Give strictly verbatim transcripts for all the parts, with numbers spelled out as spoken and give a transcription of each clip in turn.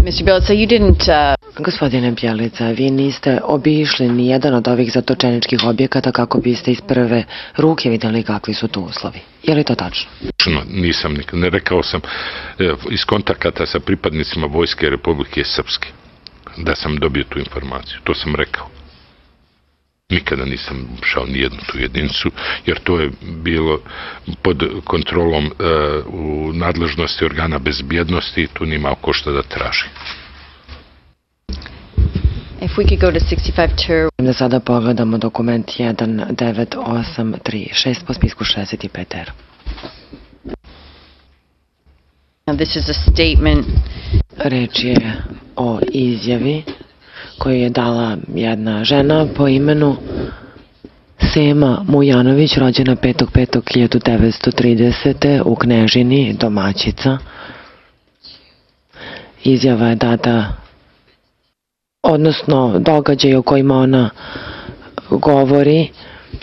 mister Bjelica, you didn't... Uh... Gospodine Bjelica, vi niste obišli ni jedan od ovih zatočeničkih objekata kako biste iz prve ruke vidjeli kakvi su tu uslovi. Je li to tačno? Nisam nikad. Ne rekao sam iz kontakata sa pripadnicima Vojske Republike Srpske da sam dobio tu informaciju. To sam rekao. Nikada nisam šao ni jednu tu jedinicu, jer to je bilo pod kontrolom uh, u nadležnosti organa bezbjednosti i tu nima oko šta da traži. If we could go to sixty-five two... Da sada pogledamo dokument jedan devet osam tri šest po spisku šezdeset pet R. Now this is a statement. Reč je o izjavi koju je dala jedna žena po imenu Sema Mujanović, rođena petog petog hiljadu devetsto tridesete. u Knežini, domaćica. Izjava je data, odnosno događaji o kojima ona govori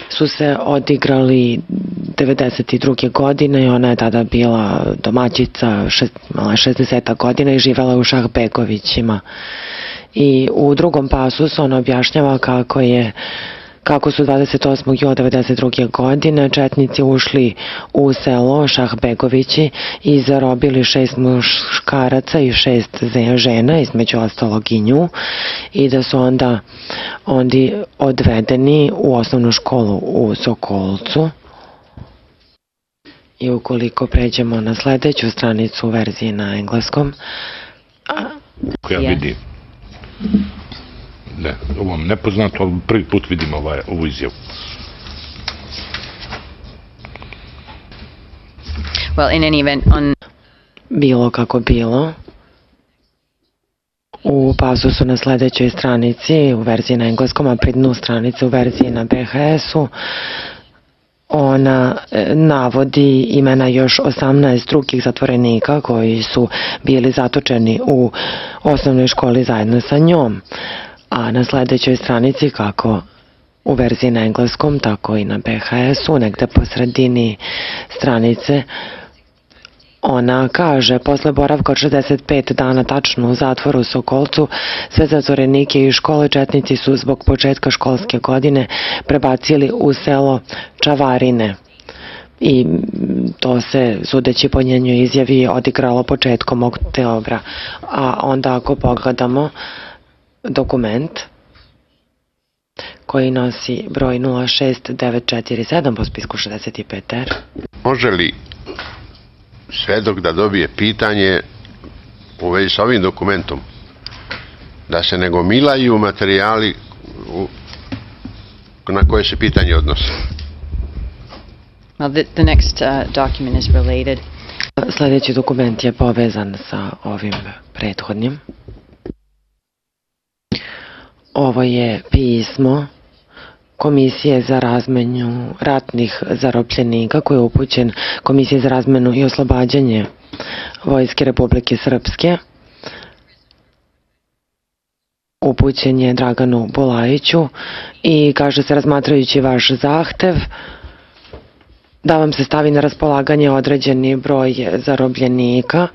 su se odigrali devedeset druge. godine i ona je tada bila domaćica, šezdeset godina i živela u Šahbegovićima. I u drugom pasusu ona objašnjava kako je kako su dvadeset osmog jula devedeset druge. godine četnici ušli u selo Šahbegovići i zarobili šest muškaraca i šest žena, između ostalog i nju, i da su onda oni odvedeni u osnovnu školu u Sokolcu. I ukoliko pređemo na sledeću stranicu u verziji na engleskom, ja vidim. Ne, ovo mi nepoznato, ali prvi put vidim ovaj, ovu izjavu. Well, in any event, on... Bilo kako bilo, u pasusu na sledećoj stranici u verziji na engleskom, a pri dnu stranice u verziji na B H S-u, ona navodi imena još osamnaest drugih zatvorenika koji su bili zatočeni u osnovnoj školi zajedno sa njom. A na sledećoj stranici, kako u verziji na engleskom, tako i na B H S-u, negde po sredini stranice, ona kaže, posle boravka od šezdeset pet dana tačno u zatvoru u Sokolcu, sve zatvorenike iz škole četnici su zbog početka školske godine prebacili u selo Čavarine. I to se, sudeći po njenoj izjavi, odigralo početkom oktobra. A onda ako pogledamo dokument koji nosi broj nula šest devet četiri sedam po spisku šezdeset pet R. Može li svedok da dobije pitanje u vezi sa ovim dokumentom, da se ne gomilaju materijali na koje se pitanje odnose? Well, the, the next uh, document is related. Sljedeći dokument je povezan sa ovim prethodnim. Ovo je pismo Komisije za razmenu ratnih zarobljenika koji je upućen Komisiji za razmenu i oslobađanje Vojske Republike Srpske. Upućen je Draganu Bulajiću i kaže se, razmatrajući vaš zahtev, da vam se stavi na raspolaganje određeni broj zarobljenika.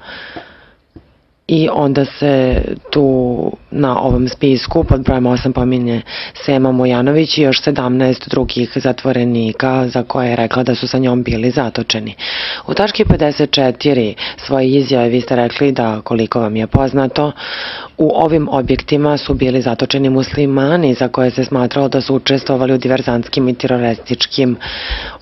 I onda se tu na ovom spisku pod brojem osam pominje Sema Mujanović i još sedamnaest drugih zatvorenika za koje je rekla da su sa njom bili zatočeni. U tački pedeset četiri svoje izjave vi ste rekli da, koliko vam je poznato, u ovim objektima su bili zatočeni muslimani za koje se smatralo da su učestvovali u diverzantskim i terorističkim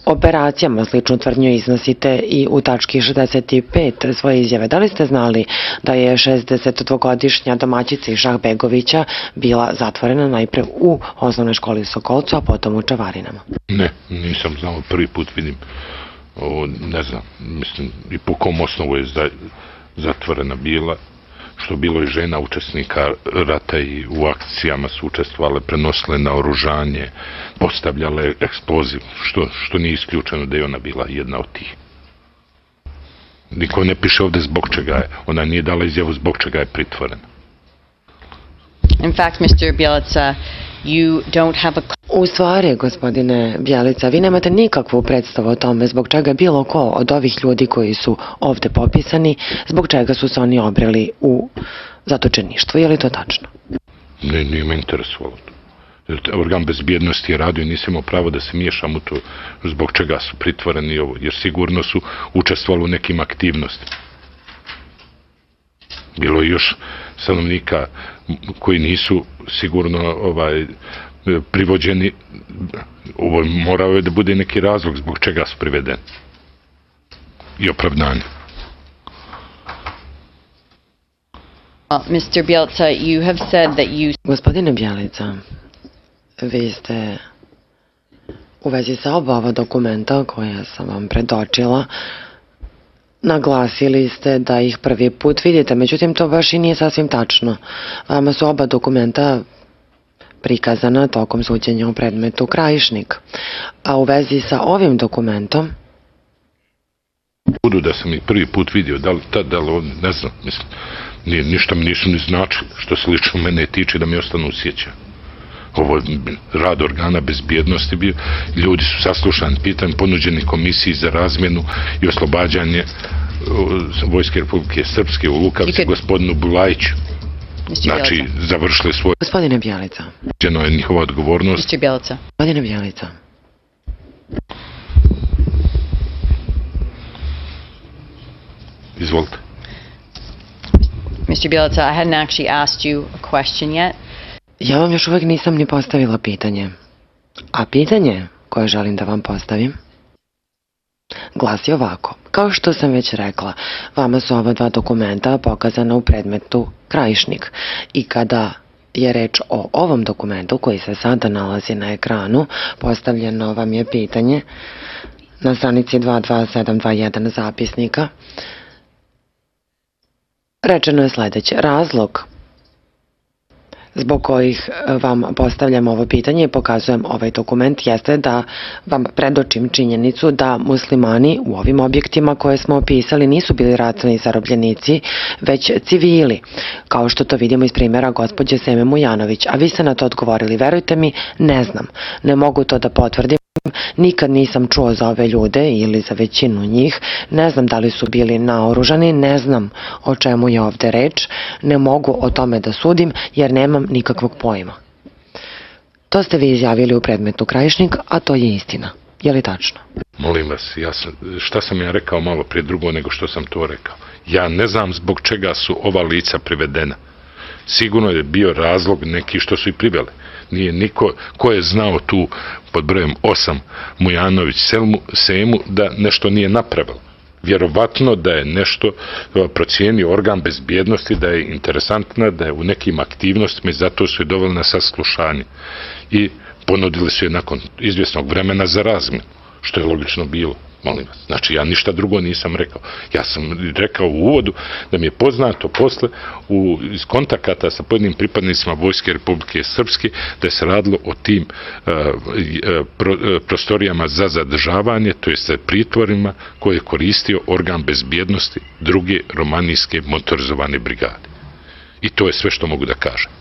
operacijama. Sličnu tvrdnju iznosite i u tački šezdeset pet svoje izjave. Da li ste znali da je šezdesetdvogodišnja domaćica iz Šahbegovića bila zatvorena najpre u osnovnoj školi u Sokolcu, a potom u Čavarinama? Ne, nisam znao, prvi put vidim. O, ne znam, mislim, i po kom osnovu je zatvorena bila, što bilo i žena učesnika rata i u akcijama su učestvovale, prenosile na oružanje, postavljale eksploziv, što, što nije isključeno da je ona bila jedna od tih. Niko ne piše ovde zbog čega je. Ona nije dala izjavu zbog čega je pritvorena. In fact, mister Bjelica, You don't have a... U stvari, gospodine Bjelica, vi nemate nikakvu predstavu o tome zbog čega bilo ko od ovih ljudi koji su ovde popisani, zbog čega su se oni obreli u zatočeništvo. Je li to tačno? Ne, nije me interesovalo to. Organ bezbjednosti je radio i nisam imao pravo da se miješam u to zbog čega su pritvoreni ovo, jer sigurno su učestvovali u nekim aktivnostima. Bilo je još stanovnika koji nisu sigurno ovaj, privođeni, ovo morao je da bude neki razlog zbog čega su privedeni i opravdanje. Uh, mister Bjelica, you have said that you... Gospodine Bjelica, vi ste u vezi sa oba ova dokumenta koja sam vam predočila naglasili ste da ih prvi put vidite, međutim to baš i nije sasvim tačno. Vama su oba dokumenta prikazana tokom suđenja u predmetu Krajišnik. A u vezi sa ovim dokumentom... Budu da sam ih prvi put vidio, da li tad, da li on, ne znam, mislim, nije, ništa mi nisu ni značili, što se lično mene tiče da mi ostanu u sjećanju. Ovo rad organa bezbjednosti bio, ljudi su saslušani, pitanje ponuđeni komisiji za razmjenu i oslobađanje Vojske Republike Srpske u Lukavci gospodinu Bulajiću. Znači, završili svoj... Gospodine Bjelica. Ženo je njihova odgovornost. mister Bjelica. Gospodine Bjelica. Izvolite. mister Bjelica, I hadn't actually asked you a question yet. Ja vam još uvek nisam ni postavila pitanje. A pitanje koje želim da vam postavim glasi ovako. Kao što sam već rekla, vama su ova dva dokumenta pokazana u predmetu Krajišnik. I kada je reč o ovom dokumentu koji se sada nalazi na ekranu, postavljeno vam je pitanje na stranici dva dva sedam dva jedan zapisnika. Rečeno je sledeće. Razlog zbog kojih vam postavljam ovo pitanje i pokazujem ovaj dokument jeste da vam predočim činjenicu da muslimani u ovim objektima koje smo opisali nisu bili ratni zarobljenici, već civili, kao što to vidimo iz primjera gospođe Seme Mujanović. A vi ste na to odgovorili, verujte mi, ne znam, ne mogu to da potvrdim. Nikad nisam čuo za ove ljude ili za većinu njih, ne znam da li su bili naoružani, ne znam o čemu je ovde reč, ne mogu o tome da sudim jer nemam nikakvog pojma. To ste vi izjavili u predmetu Krajišnik, a to je istina. Je li tačno? Molim vas, ja sam, šta sam ja rekao malo prije drugo nego što sam to rekao? Ja ne znam zbog čega su ova lica privedena. Sigurno je bio razlog neki što su i priveli. Nije niko ko je znao tu pod brojem osam Mujanović Selmu, Semu da nešto nije napravilo. Vjerovatno da je nešto procijenio organ bezbjednosti, da je interesantna, da je u nekim aktivnostima i zato su je doveli na saslušanje. I ponudili su je nakon izvjesnog vremena za razmjenu, što je logično bilo. Molim vas. Znači, ja ništa drugo nisam rekao. Ja sam rekao u uvodu da mi je poznato posle u, iz kontakata sa pojedinim pripadnicima Vojske Republike Srpske da je se radilo o tim uh, pro, uh, prostorijama za zadržavanje, to jest pritvorima koje je koristio organ bezbjednosti druge romanijske motorizovane brigade. I to je sve što mogu da kažem.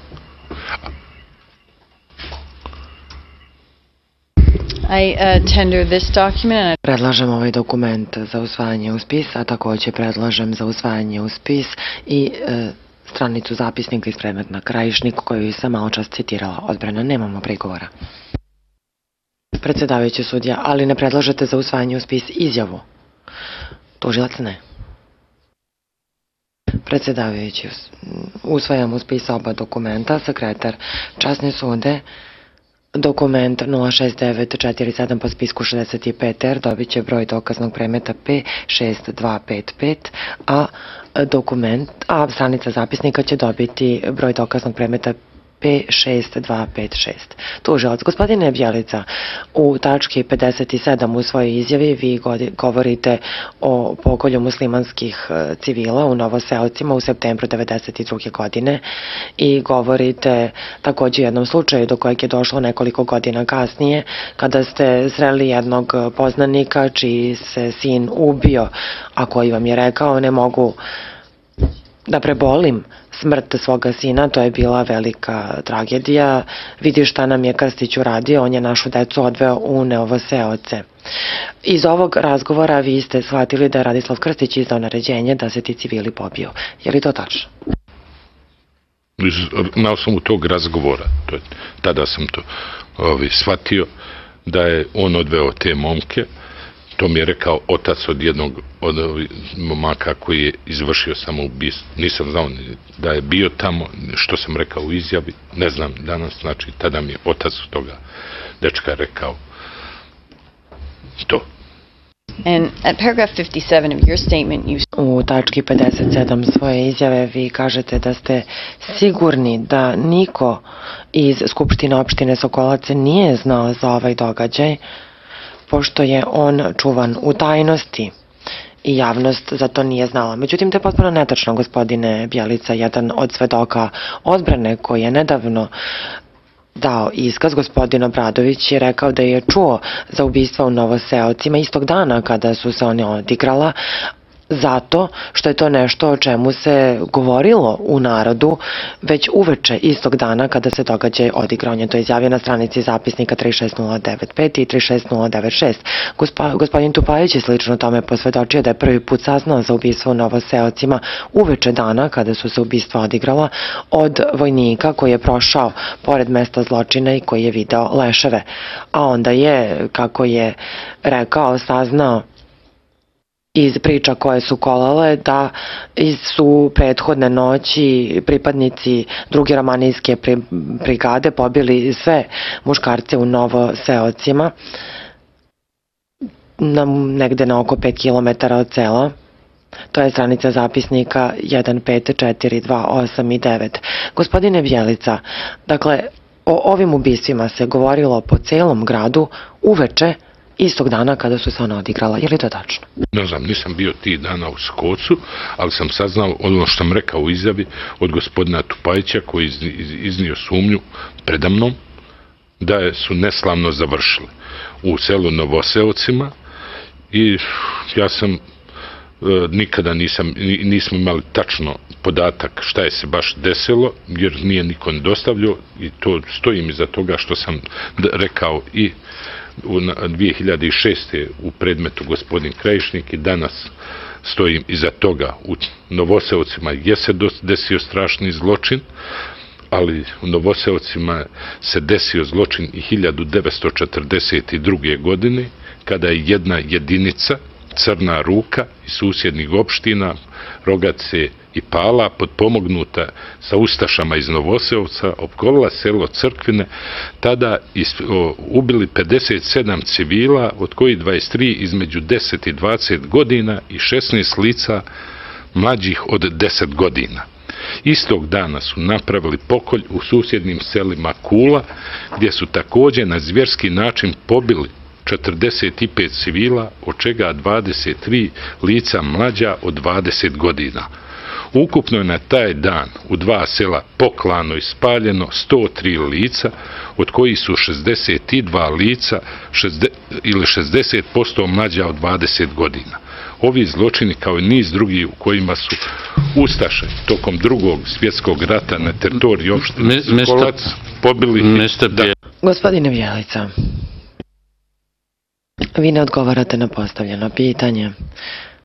I uh, tender this document and I... Predlažem ovaj dokument za usvajanje u spis, a također predlažem za usvajanje u spis i e, stranicu zapisnika iz predmeta Krajišnik koju sam malo čas citirala. Odbrana, nemamo prigovora. Predsjedavajući sudija, ali ne predlažete za usvajanje u spis izjavu? Tužilac ne. Predsjedavajući, usvajam u spis oba dokumenta. Sekretar časne sude, dokument nula šest devet četiri sedam po spisku šezdeset pet R dobit će broj dokaznog predmeta P šest dva pet pet, a dokument, a stranica zapisnika će dobiti broj dokaznog predmeta P šest dva pet šest. Tužilac, gospodine Bjelica, u tački pedeset sedam u svojoj izjavi vi govorite o pokolju muslimanskih civila u Novoseocima u septembru devedeset druge godine i govorite također o jednom slučaju do kojeg je došlo nekoliko godina kasnije kada ste sreli jednog poznanika čiji se sin ubio, a koji vam je rekao ne mogu da prebolim smrt svoga sina, to je bila velika tragedija. Vidi šta nam je Krstić uradio, on je našu decu odveo u Novoseoce. Iz ovog razgovora vi ste shvatili da je Radislav Krstić izdao naređenje da se ti civili pobiju. Je li to tačno? Na osnovu tog razgovora, to je, tada sam to ovi, shvatio, da je on odveo te momke. To mi je rekao otac od jednog od momaka koji je izvršio samoubistvo. Nisam znao da je bio tamo, što sam rekao u izjavi, ne znam danas, znači tada mi je otac toga dečka rekao to. And at paragraph fifty-seven of your statement, you U tački pedeset sedam svoje izjave vi kažete da ste sigurni da niko iz Skupštine opštine Sokolac nije znao za ovaj događaj, pošto je on čuvan u tajnosti i javnost za to nije znala. Međutim, to je potpuno netačno, gospodine Bjelica. Jedan od svedoka odbrane koji je nedavno dao iskaz, gospodin Obradović, je rekao da je čuo za ubistva u Novoseocima istog dana kada su se one odigrala, zato što je to nešto o čemu se govorilo u narodu već uveče istog dana kada se događaj odigrao. On je to izjavio na stranici zapisnika tri šest nula devet pet i tri šest nula devet šest. Gospa, gospodin Tupajić je slično tome posvedočio da je prvi put saznao za ubistvo u Novoseocima uveče dana kada su se ubistva odigrala od vojnika koji je prošao pored mesta zločina i koji je video leševe. A onda je, kako je rekao, saznao iz priča koje su kolale da su prethodne noći pripadnici druge romanijske brigade pobili sve muškarce u Novoseocima, na, negde na oko pet kilometara od sela. To je stranica zapisnika jedan pet četiri dva osam i devet. Gospodine Bjelica, dakle, o ovim ubistvima se govorilo po celom gradu uveče istog dana kada su se ona odigrala. Je li to tačno? Ne znam, nisam bio tih dana u Skocu, ali sam saznao ono što sam rekao u izjavi od gospodina Tupajića koji je iznio sumnju predamnom da su neslavno završili u selu Novoseocima i ja sam nikada nisam, nismo imali tačno podatak šta je se baš desilo, jer nije niko ne dostavljao i to stojim iza toga što sam rekao i u dvije hiljade šeste. u predmetu gospodin Krajišnik i danas stojim iza toga. U Novoseocima je se desio strašni zločin, ali u Novoseocima se desio zločin i hiljadu devetsto četrdeset druge. godine kada je jedna jedinica, Crna ruka iz susjednih opština, Rogace i Pala, potpomognuta sa ustašama iz Novoseovca, opkolila selo Crkvine, tada ubili pedeset sedam civila, od kojih dvadeset tri između deset i dvadeset godina i šesnaest lica mlađih od deset godina. Istog dana su napravili pokolj u susjednim selima Kula, gdje su također na zvjerski način pobili četrdeset pet civila, od čega dvadeset tri lica mlađa od dvadeset godina. Ukupno je na taj dan u dva sela poklano i spaljeno sto tri lica, od kojih su šezdeset dva lica ili šezdeset posto mlađa od dvadeset godina. Ovi zločini, kao i niz drugih u kojima su ustaše tokom drugog svjetskog rata na teritoriji opštine Sokolac pobili... Gospodine Bjelica, vi ne odgovarate na postavljeno pitanje.